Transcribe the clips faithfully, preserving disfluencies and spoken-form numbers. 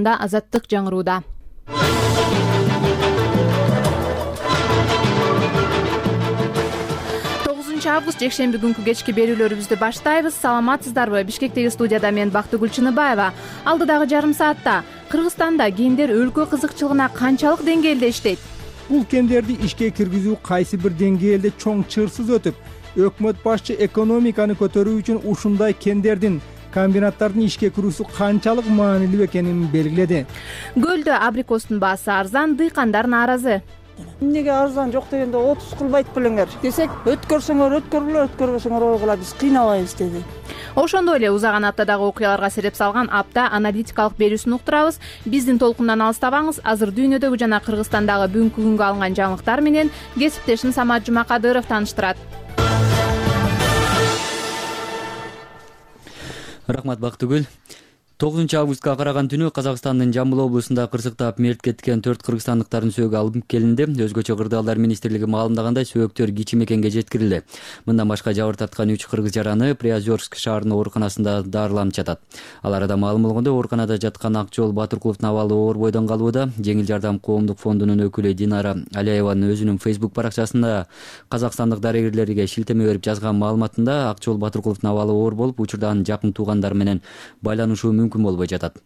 Азаттык жаңырууда. тогузунчу август жекшемби күнкү кечки берүүлөрүбүздү баштайбыз. Саламатсыздарбы? Бишкектеги студияда мен Бактыгүл Чыныбаева. Алдыдагы жарым саатта Кыргызстанда кендер өлкө кызыкчылыгына канчалык деңгээлде иштейт? Бул кендерди ишке киргизүү кайсы бир деңгээлде чоң чырсыз өтүп, өкмөт башчы экономиканы көтөрүү үчүн ушундай кендердин, комбинаттардын ишке кирүүсү канчалык маанилүү экенин белгиледи. Көлдө абрикостун баасы арзан, дыйкандар нааразы. Эмнеге арзан жок дегенде отуз кылбайт белеңер десек, өткөрсөңөр өткөргүлө, өткөрбөсөңөр ойгула, биз кыйнабайбыз деди. Ошондой эле узаган аптадагы окуяларга сереп салган апта аналитикалык берүүсүн уктурабыз. Биздин толкундан алыстабаңыз. Азыр дүйнөдөгү жана Кыргызстандагы бүгүнкү күнгө алынган жаңылыктар менен кесиптешим Самат Жумакадыров тааныштырат. Рахмат Бактыгүл. тогузунчу августка караган түнү Казакстандын Жамбыл облусунда кырсыктап мерт кеткен төрт кыргызстандыктардын сөөгү алынып келинди. Өзгөчө кырдаалдар министрлиги маалымдагандай сөөктөр кичи мекенге жеткирилди. Мындан башка жабыр тарткан үч кыргыз жараны Приозерск шаарынын ооруканасында дарыланып жатат. Аларда маалым болгондой, ооруканада жаткан Акжол Батыркуловдун абалы оор бойдон калууда. Жеңил жардам коомдук фондунун өкүлү Динара Алиеванын өзүнүн Facebook баракчасында казакстандык дарыгерлерге шилтеме берип жазган маалыматында Акжол Батыркуловдун абалы оор болуп, учурда анын жакын туугандары менен байланышуу мүмкүн болбой жатат.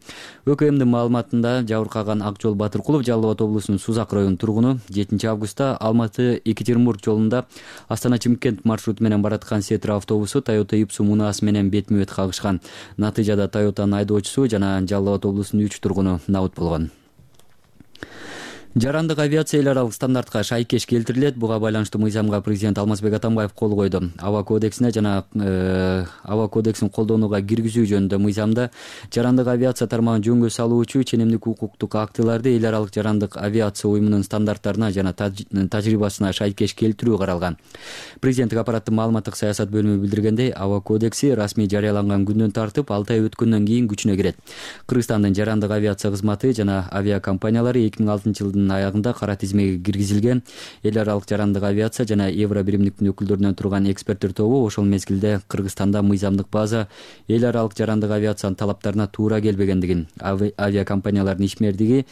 ӨКМдин маалыматында жабыркаган Акжол Батыркулов Жалал Абад облусунун Сузак районунун тургуну жетинчи августта Алматы Екатеринбург жолунда Астана Чымкент маршруту менен бараткан Сетра автобусу Toyota Ipsum унаасы менен бетме бет кагышкан. Натыйжада Toyota'нын айдоочусу жана Жалал Абад облусунун үч тургуну набыт болгон. Жарандык авиация эл аралык стандартка шайкеш келтирилет. Буга байланыштуу мыйзамга президент Алмазбек Атамбаев кол койду. Аба кодексине жана э, аба кодексин колдонууга киргизүү жөнүндө мыйзамда жарандык авиация тармагын жөнгө салуучу ченемдик укуктук актыларды эл аралык жарандык авиация уюмунун стандарттарына жана тажрыйбасына шайкеш келтирүү каралган. Президенттик аппараттын маалыматтык саясат бөлүмү билдиргендей, аба кодекси расмий жарыяланган күндөн тартып алты ай өткөндөн кийин күчүнө кирет. Кыргызстандын жарандык авиация кызматы жана авиакомпаниялары эки миң алтынчы жылдын аягында кара тизмеге киргизилген. Эл аралык жарандык авиация жана Евро биримдиктин өкүлдөрүнөн турган эксперттер тобу ошол мезгилде Кыргызстанда мыйзамдык база эл аралык жарандык авиациянын талаптарына туура келбегендигин, авиакомпаниялардын ишмердиги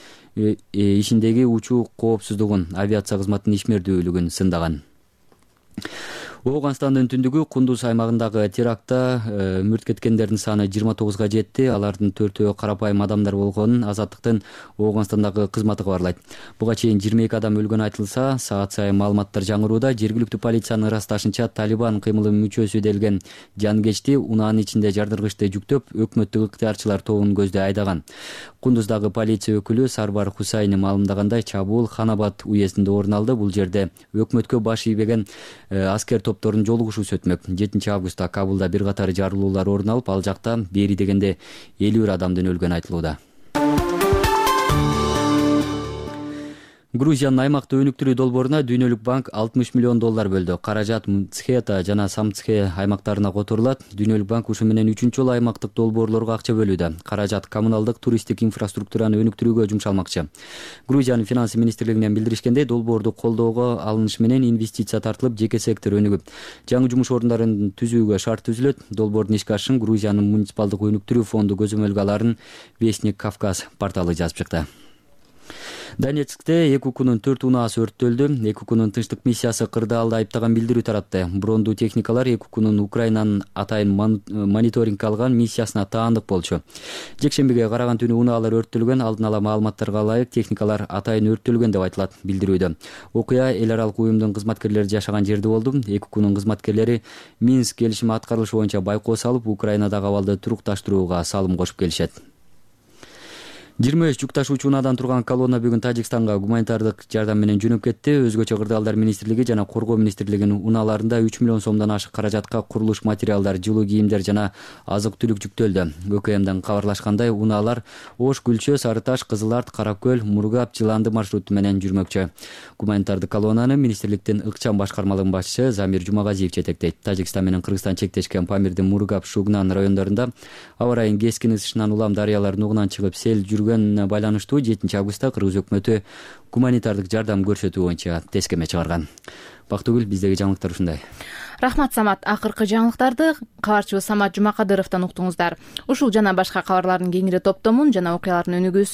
ишиндеги учуу коопсуздугун, авиация кызматынын ишмердүүлүгүн сындаган. Ооганстандын түндүгү Кундуз аймагындагы терактта э, мүрт кеткендердин саны жыйырма тогузга жетти. Алардын төртөө карапайым адамдар болгонун Азаттыктын Ооганстандагы кызматы кабарлайт. Буга чейин жыйырма эки адам өлгөнү айтылса, саат сайын маалыматтар жаңырууда. Жергиликтүү полициянын ырасташынча Талибан кыймылынын мүчөсү делген жангечти унаанын ичинде жардыргычты жүктөп, өкмөттүк ыктыярчылар тобун көздөй айдаган. Кундуздагы полиция өкүлү Сарбар Хусайни маалымдагандай, чабуул Ханабад уездинде орун алды. Бул жерде өкмөткө баш ийбеген э, аскер топтордун жолугушуусу өтмөк. жетинчи августта Кабулда бир катар жарылуулар орун алып, ал жакта бери дегенде элүү бир адамдын өлгөнү айтылууда. Грузиянын аймактык өнүктүрүү долбооруна Дүйнөлүк банк алтымыш миллион доллар бөлдү. Каражат Мцхета жана Самцхе аймактарына которулат. Дүйнөлүк банк ушу менен үчүнчү жолу аймактык долбоорлорго акча бөлүүдө. Каражат коммуналдык туристтик инфраструктураны өнүктүрүүгө жумшалмакчы. Грузиянын финансы министрлигинен билдиришкендей, долбоорду колдоого алыныш менен инвестиция тартылып, жеке сектор өнүгүп, жаңы жумуш ордундарын түзүүгө шарт түзүлөт. Долбоордун ишке ашышын Грузиянын муниципалдык өнүктүрүү фонду көзөмөлгө аларын Вестник Кавказ порталы жазып чыкты. Донецкте эки укунун төрт унаасы өрттөлдү. Эки укунун тынчтык миссиясы кырдаалды айыптаган билдирүү таратты. Брондуу техникалар эки укунун Украинанын атайын мониторинг алган миссиясына таандык болчу. Жекшембиге караган түнү унаалар өрттөлгөн. Алдын ала маалыматтарга ылайык техникалар атайын өрттөлгөн деп айтылат билдирүүдө. Окуя эл аралык уюмдун кызматкерлери жашаган жерде болду. Эки укунун кызматкерлери Минск келишими аткарылышы боюнча байкоо салып, Украинадагы абалды турукташтырууга салым кошуп келишет. жыйырма үч жүк ташуучу унаадан турган колонна бүгүн Тажикстанга гуманитардык жардам менен жөнөп кетти. Өзгөчө кырдаалдар министрлиги жана коргоо министрлигинин унааларында үч миллион сомдон ашык каражатка курулуш материалдар, жылуу кийимдер жана азык-түлүк жүктөлдү. ÖKMден кабарлашкандай, унаалар Ош, Гүлчө, Сары Таш, Кызыл Арт, Каракөл, Мургап, Жыланды маршруту менен жүрмөкчү. Гуманитардык колоннаны министрликтин ыкчам башкармалыгынын башчысы Замир Жумагазиев жетектейт. Тажикстан менен Кыргызстан чектешкен Памирдин Мургап, Шугнан райондорунда аба ырайынын кескин ысышынан улам дарыялар нугунан чыгып, сел жүргөн көрсөтүлгөнүнө байланыштуу жетинчи августта кыргыз өкмөтү гуманитардык жардам көрсөтүү боюнча тескеме чыгарган. Бактыгүл, биздеги жаңылыктар ушундай. Рахмат, Самат. Акыркы жаңылыктарды кабарчыбыз Самат Жумакадыровдон уктуңуздар. Ушул жана башка кабарлардын кеңири топтомун жана окуялардын өнүгүүсү